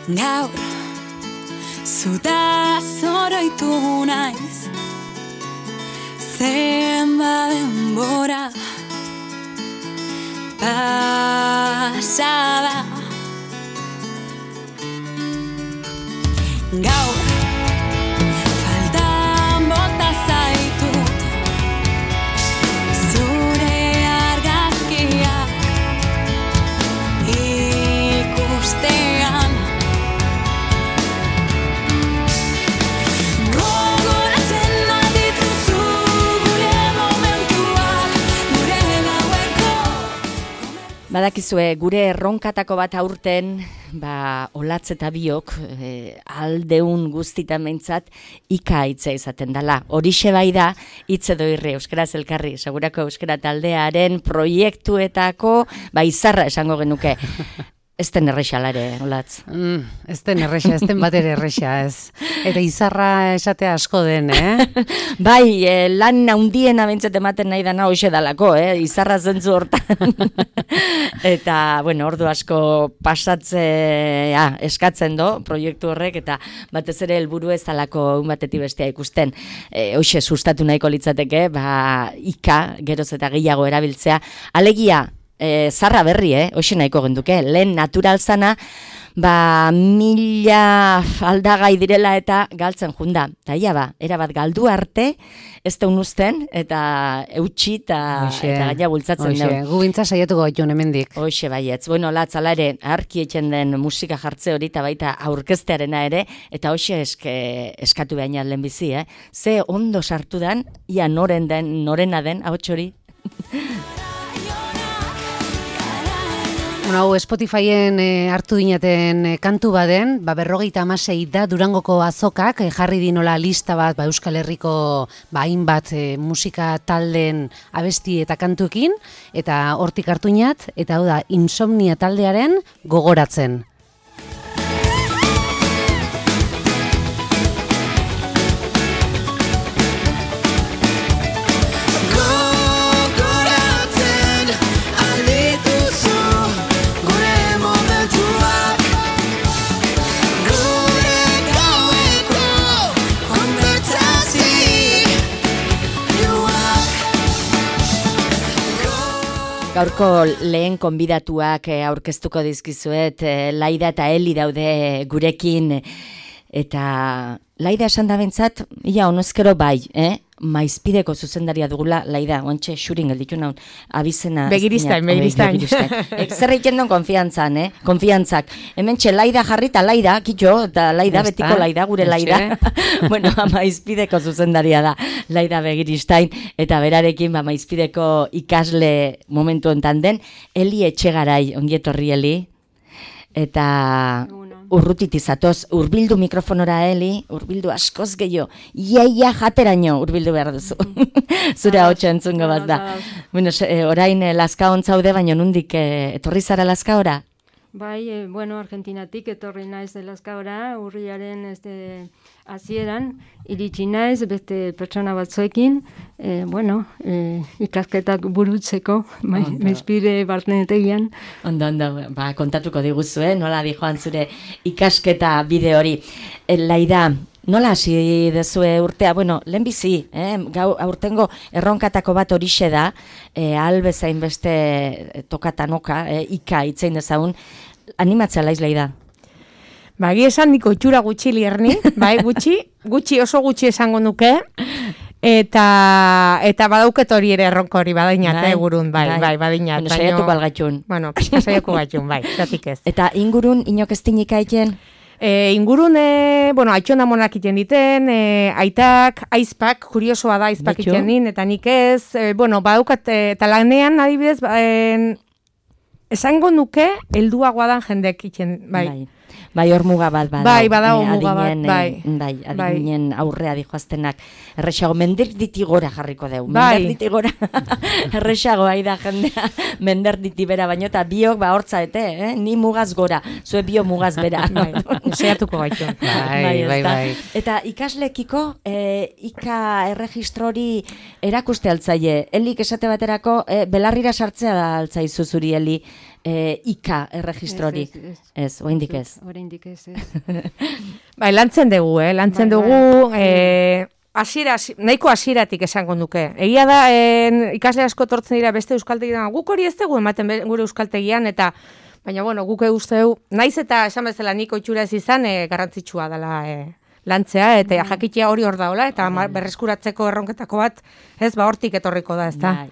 Gaur zutaz oroitu naiz, zenba denbora pasada. Gaur faltan bota zaitut zure argazkiak ikustean. Gogoratzen badituzu gure momentuak, gure gaueko. Badakizue, gure erronkatako bat aurten, olatz eta biok, aldeun guztitan behintzat, ika hitza izaten dela. Horixe bai da, hitz edo irri, euskaraz elkarri, segurako euskara taldearen proiektuetako, izarra esango genuke. Ez den errexalare, olatz. Ez den errexa, ez den bat ere errexa, ez. Eta izarra esatea asko den, lan handiena behintzat ematen nahi dana hoxe dalako, izarra zentzu hortan. Eta, ordu asko pasatzea eskatzen do, proiektu horrek, eta batez ere helburu ez dalako un batetik bestea ikusten. Hoxe sustatu nahiko litzateke, ika, geroz eta gehiago erabiltzea. Alegia, zarra berri, hoxe nahiko genduke, lehen natural zana, 1000 aldagai direla eta galtzen junda. Eta ia erabat galdu arte, ez da unuzten, eta eutxi eta gaina bultzatzen dugu. Gu bintza saiatuko gaitu hemendik. Hoxe baietz. Latzala ere, arki etxen den musika jartze hori, eta baita aurkeztearena ere, eta hoxe eskatu behaina lehenbizi, Ze ondo sartu dan, ia norena den, ahots hori. Hau Spotifyen hartu dinaten kantu baden, 56 da Durangoko azokak jarri dinola lista bat Euskal Herriko hainbat musika talden abesti eta kantuekin, eta hortik hartu inat, eta hau da Insomnia taldearen Gogoratzen. Gaurko lehen konbidatuak aurkeztuko dizkizuet, Laida eta Eli daude gurekin, eta Laida esan da bentzat, ia honezkero bai, Maizpideko zuzendaria dugula, Laida, oantxe xurin gelditu naun, abizena... Begiristain. Zer egiten duen konfiantzak. Hemen txe Laida jarri eta Laida, kitxo, eta Laida, betiko Laida, gure Laida. Maizpideko zuzendaria da, Laida Begiristain, eta berarekin Maizpideko ikasle momentu enten den, Eli Etxegarai, ongietorri Eli, eta... Urrutit izatoz, urbildu mikrofonora, Eli, urbildu askoz gehiago, iaia jateraino urbildu behar duzu. Zure hautsa entzungo bat da. Orain Lazka ontzaude, baina nundik etorri zara Lazka ora? Bai, Argentinatik etorri naiz Lazka ora, urriaren hasieran, iritsi naiz, beste pertsona batzuekin, ikasketak burutzeko, Maizpide barnetegian. Ondo, kontatuko diguzu, nola dijoan zure ikasketa bide hori. Laida, nola hasi dezue urtea? Lehenbizi, aurtengo erronkatako bat horixe da, albezain beste tokatanoka, ika itzein dezagun, animatzea laiz, Laida? Bagi esan niko itxura gutxi lierni, gutxi oso gutxi esango nuke, eta badauket hori ere erronko hori badainat, gurun, badainat. Saiatuko algatxun. Saiatuko gaitxun, zatik ez. Eta ingurun inok ez tinik aiten? Ingurun, aitxona monak iten diten, aitak, aizpak, kuriosoa da aizpak iten din, eta nik ez, badaukat, eta lanean adibidez, esango nuke, helduagoa dan jendek iten, Bai, hor muga bat bada. Bai, badago muga bat, bai. Adinen aurrea dijoaztenak. Errexago, menderditi gora jarriko deu. Bai. Menderditi gora. Errexago, da jendea, menderditi bera, baino, eta biok hortza, ni mugaz gora, zue bio mugaz bera. Seiatuko gaitu. Bai. Eta ikaslekiko, ika erregistrori erakuste altzaie. Elik esate baterako, belarrira sartzea da altzaizu zuri, Eli. IKA erregistrori. Ez, oraindik ez. Oraindik ez. Bai, lantzen dugu, nahiko hasieratik esango nuke. Egia da, ikasle asko tortzen dira beste euskaltegian, guk hori ez dugu ematen gure euskaltegian, eta baina, bueno, guk usteu, naiz eta esan bezala nik oitxura ez izan, garrantzitsua dela lantzea, eta jakitea hori hor daola, eta berreskuratzeko erronketako bat, ez, hortik etorriko da, ez da?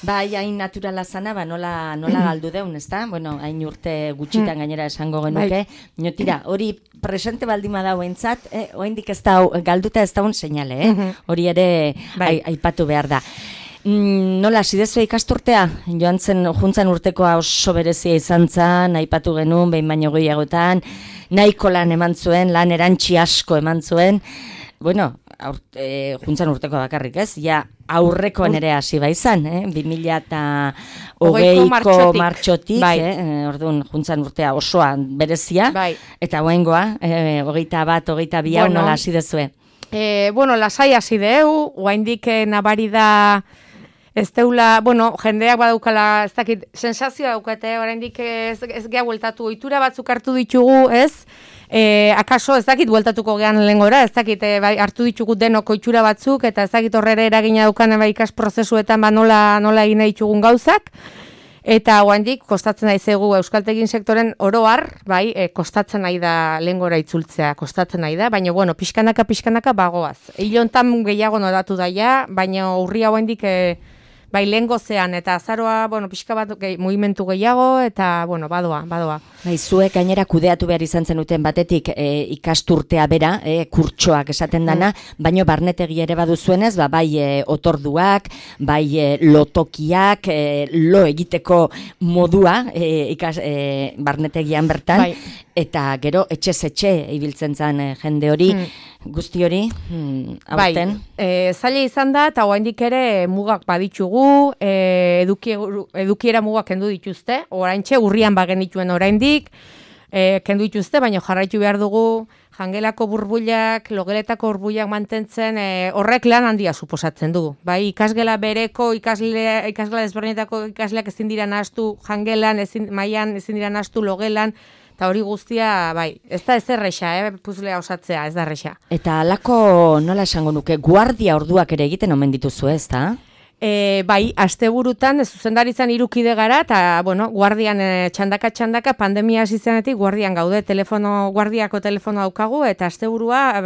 Bai, hain naturala zana, nola galdu deun, ez da? Bueno, hain urte gutxitan gainera esango genuke. Tira, hori presente baldima da entzat, oraindik ez da, galduta ez da un seinale, hori ere aipatu behar da. Nola, zidezu ikasturtea? Juntzan urtekoa oso berezia izan zen, aipatu genuen, behin baino gehiagotan, nahiko lan eman zuen, lan erantsi asko eman zuen, bueno, juntzan urteko bakarrik ez, ja aurrekoan ere hasi izan, 2020ko martxotik, orduan juntzan urtea osoan berezia, eta oraingoa, 21, 22 nola hasi dezue? Bueno, lasai hasi deu, oraindik nabari da ez deula, bueno, jendeak badaukala, ez dakit, sensazioa daukate, oraindik ez gea bueltatu, ohitura batzuk hartu ditugu, ez? Akaso ez dakit bueltatuko gean lehengora, ez dakit hartu ditugu denok ohitura batzuk, eta ez dakit horrera eragina daukan ikas prozesuetan nola egin ditugun gauzak, eta oraindik kostatzen daizegu euskaltegin sektoren oro har, kostatzen nahi da lehengora itzultzea, kostatzen nahi da, baina bueno, pixkanaka bagoaz. Ilontan gehiago noratu daia, baina urria oraindik lehengozean eta azaroa, bueno, pixka bat mugimendu gehiago, eta, bueno, badoa. Zuek gainera kudeatu behar izan zenuten batetik ikasturtea bera, kurtsoak esaten dana, baino barnetegi ere baduzuenez, bai otorduak, bai lotokiak, lo egiteko modua barnetegian bertan, eta gero etxez etxe ibiltzen zen jende hori, guzti hori, aurten? Zaila izan da, eta oraindik ere mugak baditugu, edukiera mugak kendu dituzte, oraintxe urrian bagenituen oraindik, kendu dituzte, baina jarraitu behar dugu, jangelako burbuilak, logeletako burbuilak mantentzen, horrek lan handia suposatzen du. Bai, ikasgela bereko, ikasgela desberdinetako ikasleak ezin dira nahastu, jangelan, mailan ezin dira nahastu, logelan, eta hori guztia, ez da ez erresa, puzlea osatzea, ez da erresa. Eta halako, nola esango nuke, guardia orduak ere egiten omen dituzu, ez da? Asteburutan, zuzendaritzan 3 kide gara, eta, bueno, guardian txandaka, pandemia hasi zenetik guardian gaude, guardiako telefono daukagu, eta asteburua,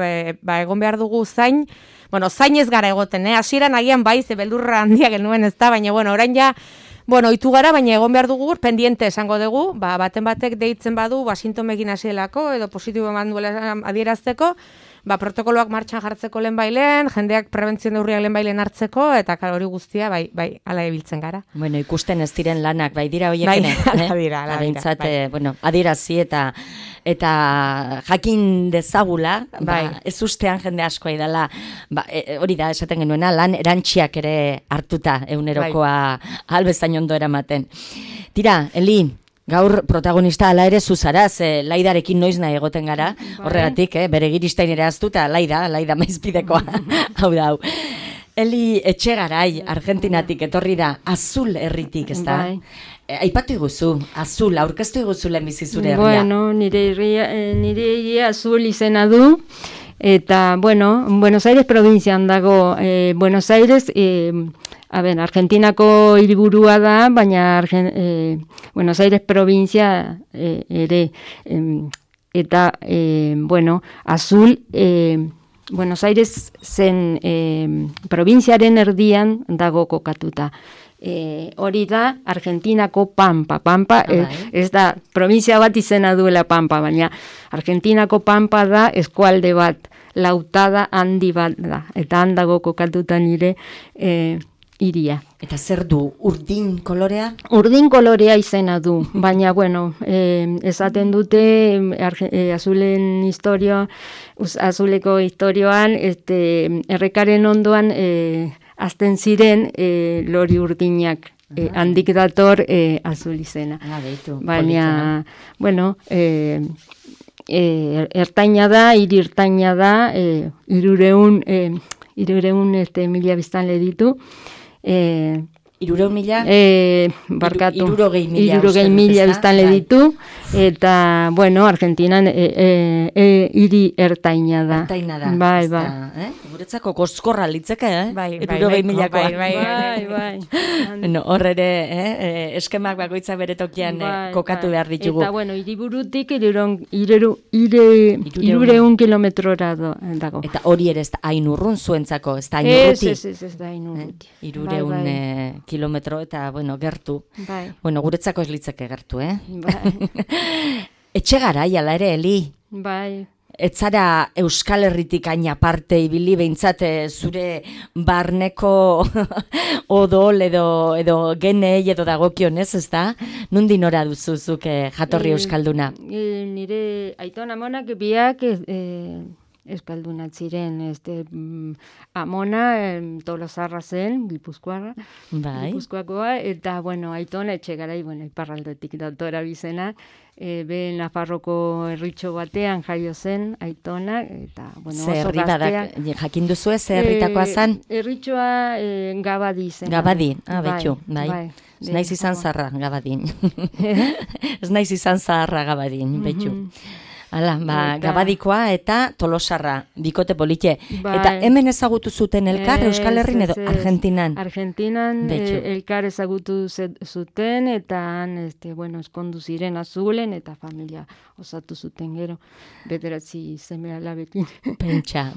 egon behar dugu zain, bueno, zain ez gara egoten, hasieran agian ze beldurra handia genuen ez da, baina, bueno, orain ja, bueno, ohitu gara, baina egon behar dugu, pendiente esango dugu, baten batek deitzen badu, sintomekin hasielako, edo positibo eman duela adierazteko, protokoloak martxan jartzeko lehenbailen, jendeak prebentzio neurriak lehenbailen hartzeko, eta hori guztia, ala ebiltzen gara. Bueno, ikusten ez diren lanak, dira horiekene. Ala dira. Bueno, adierazi eta jakin dezagula, ez ustean jende askoa idala, hori da esaten genuena, lan erantxiak ere hartuta egunerokoa albezain ondo eramaten. Tira, Eli, gaur protagonista ala ere zuzaraz, Laidarekin noiz nahi egoten gara, horregatik, bere giristain ere aztuta, Laida maizpidekoa, hau da, hau. Eli Etxegarai, Argentinatik etorri da, Azul herritik, ez da? Aipatu iguzu, Azul, aurkeztu iguzu lehenbizi zure herria. Bueno, nire herria Azul izena du, eta, bueno, Buenos Aires provincian dago, Buenos Aires, Argentinako hiriburua da, baina Buenos Aires provincia ere, eta, bueno, Azul, Buenos Aires zen provinziaren erdian dago kokatuta. Hori da Argentinako Pampa, ez da provinzia bat izena duela Pampa, baina Argentinako Pampa da eskualde bat, lautada handi bat da, eta handago kokatuta nire iria. Eta zer du, urdin kolorea? Urdin kolorea izena du, baina, bueno, esaten dute Azulen historia, Azuleko historioan, errekaren ondoan azten ziren lori urdinak, handik dator Azul izena. Baina, bueno, ertaina da, hiri ertaina da, 300 mila biztanle ditu. 300.000? Barkatu. 60.000 60.000 biztanle ditu, eta, bueno, Argentinan hiri ertaina da. Ertaina da. Bai, ez bai. da, Guretzako koskorra litzeke, Bai, 60.000koa. Bai. Bueno, hor ere, eskemak bakoitza bere tokian kokatu behar ditugu. Eta, bueno, hiriburutik 300 kilometrora dago. Eta hori ere ez da hain urrun zuentzako, ez da hain Ez urruti. da hain urruti. 300 kilometro eta, bueno, gertu. Bai. Bueno, guretzako ez litzeke gertu, Bai. Etxe garai, ala ere, Eli. Bai. Ez zara Euskal Herritik hain aparte ibili behintzat zure barneko odol edo genei edo dagokionez, ez da? Nundi nora duzuzuk jatorri euskalduna? Nire aiton amonak biak euskaldunat ziren, amona Tolosarra zen, Gipuzkoarra, Bai. Gipuzkoakoa, eta, bueno, aiton etxe garai, bueno, iparraldetik datora bizena, be Nafarroko herritxo batean jaio zen aitona, eta, bueno, Ze oso herri gaztea. jakin duzue, ze herritakoa zen? Herritxoa Gabadi zen. Gabadi, betxu, bai. Ez naiz izan zaharra, Gabadin. Ez naiz izan zaharra, Gabadin, betxu. Hala, Gabadikoa eta Tolosarra, bikote politxe. Bai. Eta hemen ezagutu zuten elkar, Euskal Herrin edo Ez. Argentinan? Argentinan Betxu. elkar ezagutu zuten, eta han, bueno, eskondu ziren Azulen, eta familia osatu zuten gero, bederatzi seme alabekin. Pentsa.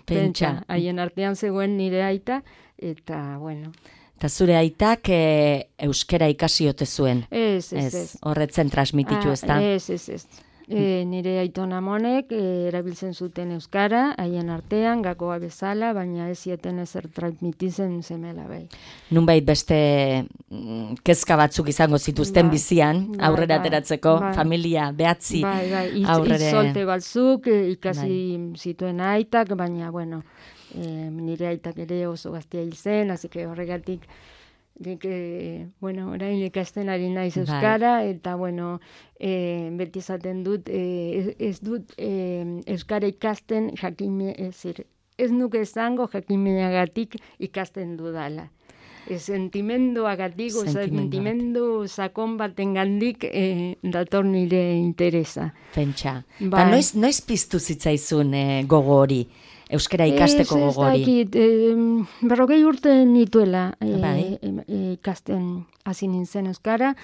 Haien artean zegoen nire aita, eta, bueno. Eta zure aitak euskera ikasi ote zuen? Ez. Horretzen transmititu, ez da? Ez. Nire aiton amonek erabiltzen zuten euskara, haien artean, gakoa bezala, baina ez zieten ezer transmititzen semela bai. Nunbait beste kezka batzuk izango zituzten bizian, aurrera ateratzeko, familia behatzi aurrere. Izolte batzuk ikasi zituen aitak, baina, bueno, nire aitak ere oso gaztea hil zen, así que horregatik bueno, orain ikasten ari naiz euskara, eta, bueno, beti esaten dut, ez dut euskara ikasten ez nuke esango jakiminagatik ikasten dudala. Sentimenduagatik, sentimendu sakon batengandik dator nire interesa. Pentsa. Ba, noiz piztu zitzaizun gogo hori? Euskara ikasteko gogo hori? Ez dakit, 40 urte nituela ikasten hasi nintzen euskara.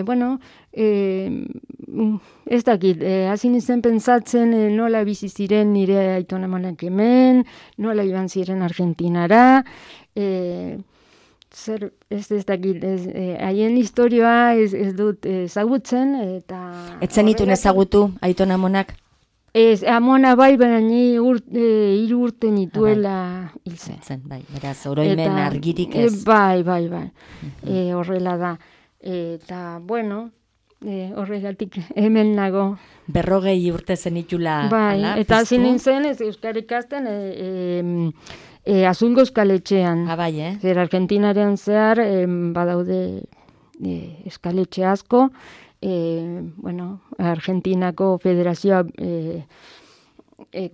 Bueno, ez dakit, hasi nintzen pentsatzen nola bizi ziren nire aiton amonak hemen, nola iban ziren Argentinara, ez dakit, haien historioa ez dut ezagutzen, eta... Ez zenitun ezagutu aiton amonak? Ez, amona bai, baina ni 3 urte nituela hil zen. Bai, beraz, oroimen argirik ez. Bai. Horrela da. Eta, bueno, horregatik hemen nago. 40 urte zenitula. Bai, eta hasi nintzen euskara ikasten Azulgo eskaletxean. Bai, Zer Argentinaren zehar badaude eskaletxe asko. Bueno, Argentinako federazioa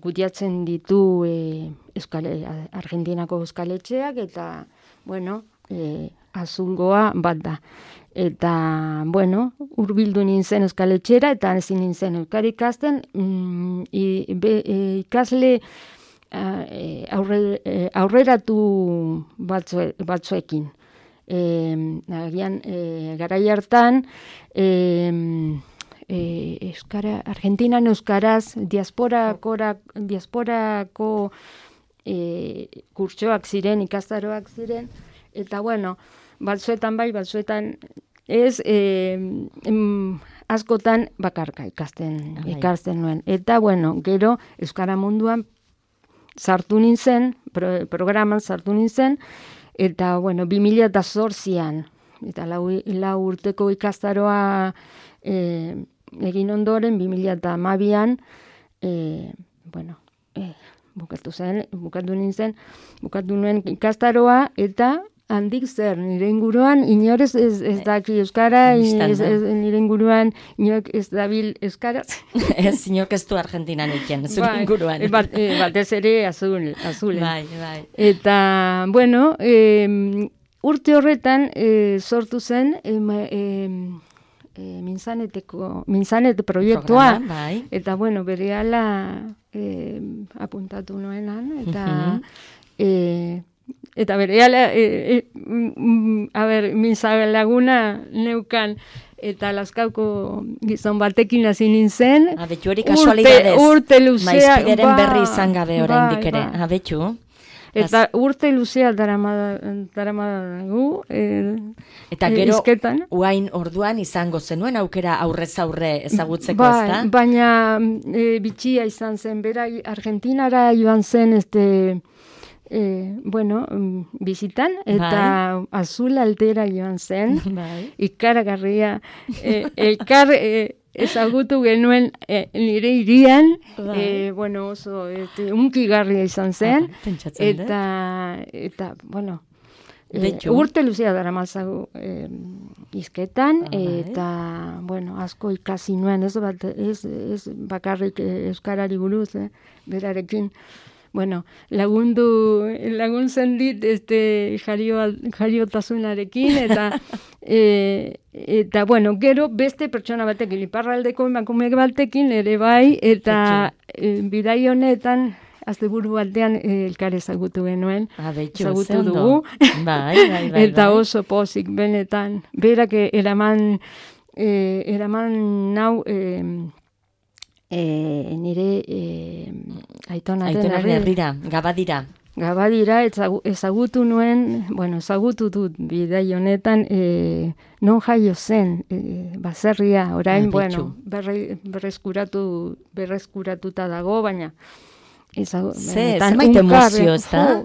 kudeatzen ditu Argentinako euskaletxeak, eta, bueno, Azulgoa bat da. Eta, bueno, hurbildu nintzen euskaletxera, eta ezin nintzen euskara ikasten, ikasle aurreratu batzuekin. Garai hartan, Argentinan euskaraz diasporako kurtsoak ziren, ikastaroak ziren, eta, bueno, batzuetan bai, batzuetan ez, askotan bakarka ikasten nuen. Eta, bueno, gero euskara munduan sartu nintzen, programan sartu nintzen, eta, bueno, 2008an, eta lau urteko ikastaroa egin ondoren, 2012an, bueno, bukatu nuen ikastaroa, eta handik zer, nire inguruan, inorez ez daki euskara, nire inguruan, inorek ez dabil euskaraz. Ez, inorek ez du Argentinan iken, zure inguruan. Batez ere azulen. Bai. Eta, bueno, urte horretan sortu zen Minzanete proiektua, Programa, bai. eta bueno, berehala apuntatu nuenan, eta berehala, Minzalaguna neukan, eta Lazkauko gizon batekin hasi nintzen. Betu hori kasualidadez. Urte luzea. Maizpideren berri izan gabe oraindik ere. Betu. Eta urte luzea daramadagu Eta gero, izketan. uain orduan izango zenuen aukera aurrez aurre ezagutzeko, Bai, ezta? baina bitxia izan zen, bera Argentinara joan zen bizitan, eta Azul Altera joan zen, Bai. ikaragarria, elkar ezagutu genuen nire irian, oso unkigarria izan zen, Pentsatzen dut. eta Betxu. urte luzea dara mazagu izketan, Bai. eta, asko ikasi nuen, ez bakarrik euskarari buruz, berarekin. Laguntzen dit jariotasunarekin, eta gero beste pertsona batekin, iparraldeko emakume batekin ere bai, eta bidai honetan, asteburu batean elkar ezagutu genuen, ezagutu dugu, Bai. eta oso pozik benetan. Berak eraman nau nire Aitonaren herrira, Gabadira. Ezagutu nuen, ezagutu dut bidai honetan, non jaio zen, baserria, orain, berreskuratuta dago, baina zenbait emozio, ez da?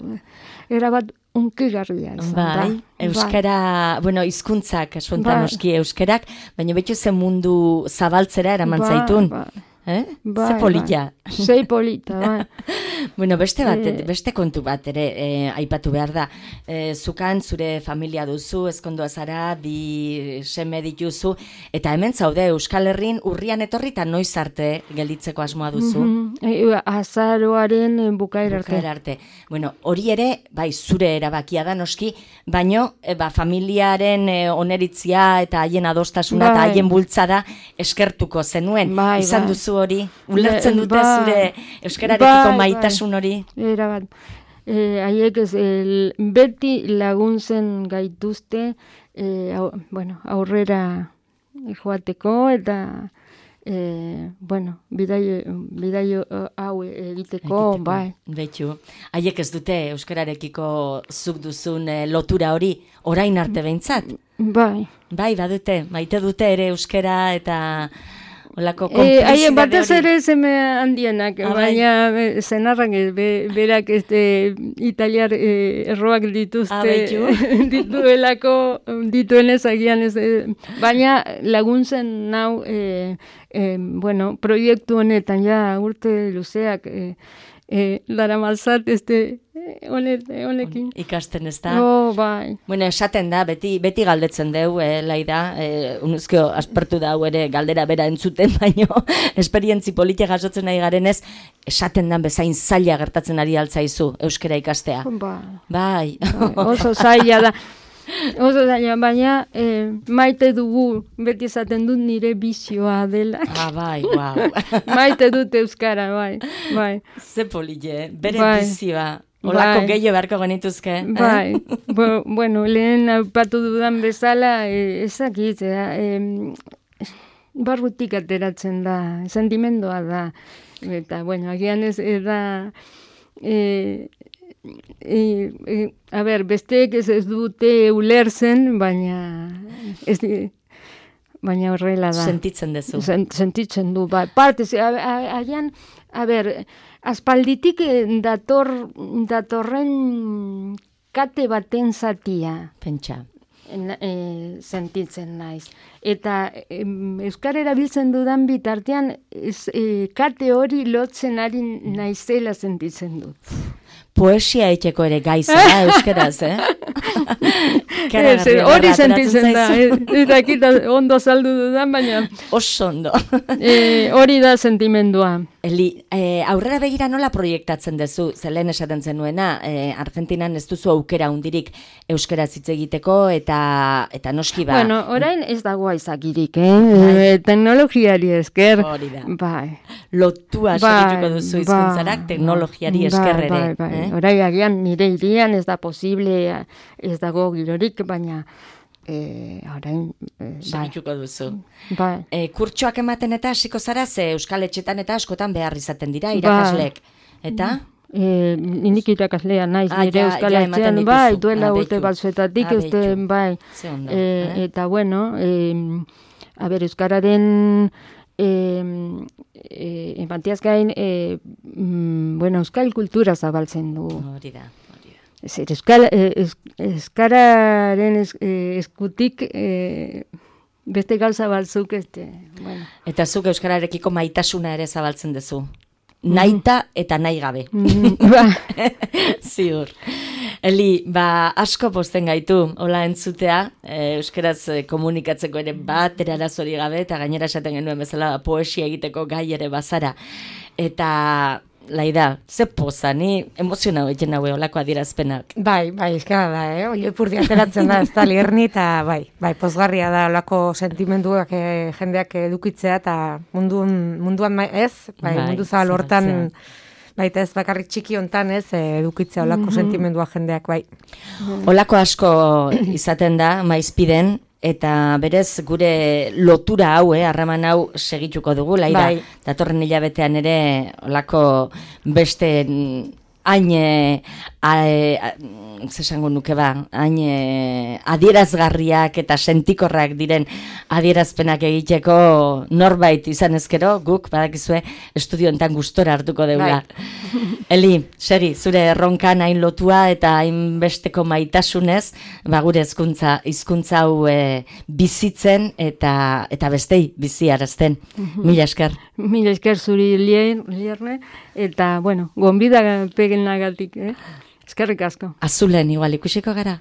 Erabat unkigarria izan da. Bai, euskara, hizkuntzak, noski euskerak, baina betu zen mundu zabaltzera eraman zaitun. Ze polita. Zei polita, bai. Beste kontu bat ere aipatu behar da. Zukan zure familia duzu, ezkondoa zara, 2 seme dituzu, eta hemen zaude Euskal Herrin urrian etorri eta noiz arte gelditzeko asmoa duzu. Azaroaren bukaera arte. Hori ere, bai, zure erabakia da noski, baino, familiaren oneritzia eta haien adostasuna eta haien bultzada eskertuko zenuen. Izan duzu hori, ulertzen dute zure euskararekiko maitasun hori? Erabat. Haiek beti laguntzen gaituzte, aurrera joateko, eta bidaio hau egiteko, bai. Betxu, haiek ez dute euskararekiko zuk duzun lotura hori orain arte behintzat? Bai. Bai, badute, maite dute ere euskara eta olako konplizidade hori. Batez ere zeme handienak, baina zenarrak berak italiar erroak dituenez agian ez, baina laguntzen nau, proiektu honetan, urte luzeak, daramalzat honekin. Ikasten ez da? Bai. Esaten da, beti galdetzen deu, Laida, unuzkio aspertu da ere galdera bera entzuten, baino, esperientzi politia jasotzen nahi garenez, esaten dan bezain zaila gertatzen ari altzaizu euskara ikastea. Bai. Oso zaila da. Baina maite dugu, beti esaten dut nire bizioa dela. Bai, guau. Maite dut euskara, bai. Ze polile, bere bizioa. Olako gehiago beharko genituzke. Bai, lehen aipatu dudan bezala, ezakit, barrutik ateratzen da, sentimendua da. Eta, agian ez da... besteek ez dute ulertzen, baina horrela da. Sentitzen duzu. Sentitzen du, bai. Partez, agian, aspalditik datorren kate baten zatia. Pentsa. Sentitzen naiz. Eta euskara erabiltzen dudan bitartean kate hori lotzen ari naizela sentitzen dut. Poesia eiteko ere gaizara euskaraz, Ikaragarria hori sentitzen da. ateratzen zaizu. Ez dakit ondo saldu dudan, baina Oso ondo. hori da sentimendua. Eli, aurrera begira nola proiektatzen duzu, zelen esaten zenuena, Argentinan ez duzu aukera hundirik euskaraz hitz egiteko eta noski ba. Bueno, orain ez dago aizakirik, teknologiari esker. Hori da. Bai. Lotua segituko duzu hizkuntzarak teknologiari esker ere. Bai. Orain agian nire hirian ez da posible, ez dago girorik, baina orain Segituko duzu. bai. Kurtsoak ematen eta hasiko zara, ze euskal etxetan eta askotan behar izaten dira irakasleek. Eta? Nik irakaslea naiz nire ja euskal ematen etxean, dituzu. bai, duela Beitu. urte batzuetatik, Beitu. bai. Ze ondo, Eta bueno, a ber, euskararen empatiaz gain, bueno, euskal kultura zabaltzen du. Hori da. Zer, euskararen eskutik beste gauza batzuk, bueno. Eta zuk euskararekiko maitasuna ere zabaltzen duzu. Naita eta nahi gabe. Ba, Ziur. Eli, asko posten gaitu, hola entzutea, euskaraz komunikatzeko ere bat erarazori gabe, eta gainera esaten genuen bezala poesia egiteko gai ere bazara. Eta, Laida, ze poza, ni emozionau egin naue olako adierazpenak. Bai, eskara da, Oio ipurdi ateratzen da, ez da lierni, eta bai, pozgarria da olako sentimenduak jendeak edukitzea, eta munduan ez, mundu zabal hortan, baita ez bakarrik txiki hontan ez, edukitzea olako sentimendua jendeak, bai. Olako asko izaten da, maizpiden, eta berez gure lotura hau, harreman hau segituko dugu, Laida. Bai. Datorren hilabetean ere olako beste hain zesango nuke hain adierazgarriak eta sentikorrak diren adierazpenak egiteko norbait izan ezkero, guk badakizue estudio hontan gustora hartuko dugula. Eli, seri, zure erronkan hain lotua eta hain besteko maitasunez, gure hizkuntza hau bizitzen eta bestei biziarazten. Mila esker. Mila esker zuri lierne, eta, bueno, gonbida peguen nagatik, Eskerrik asko. Azulen igual ikusiko gara.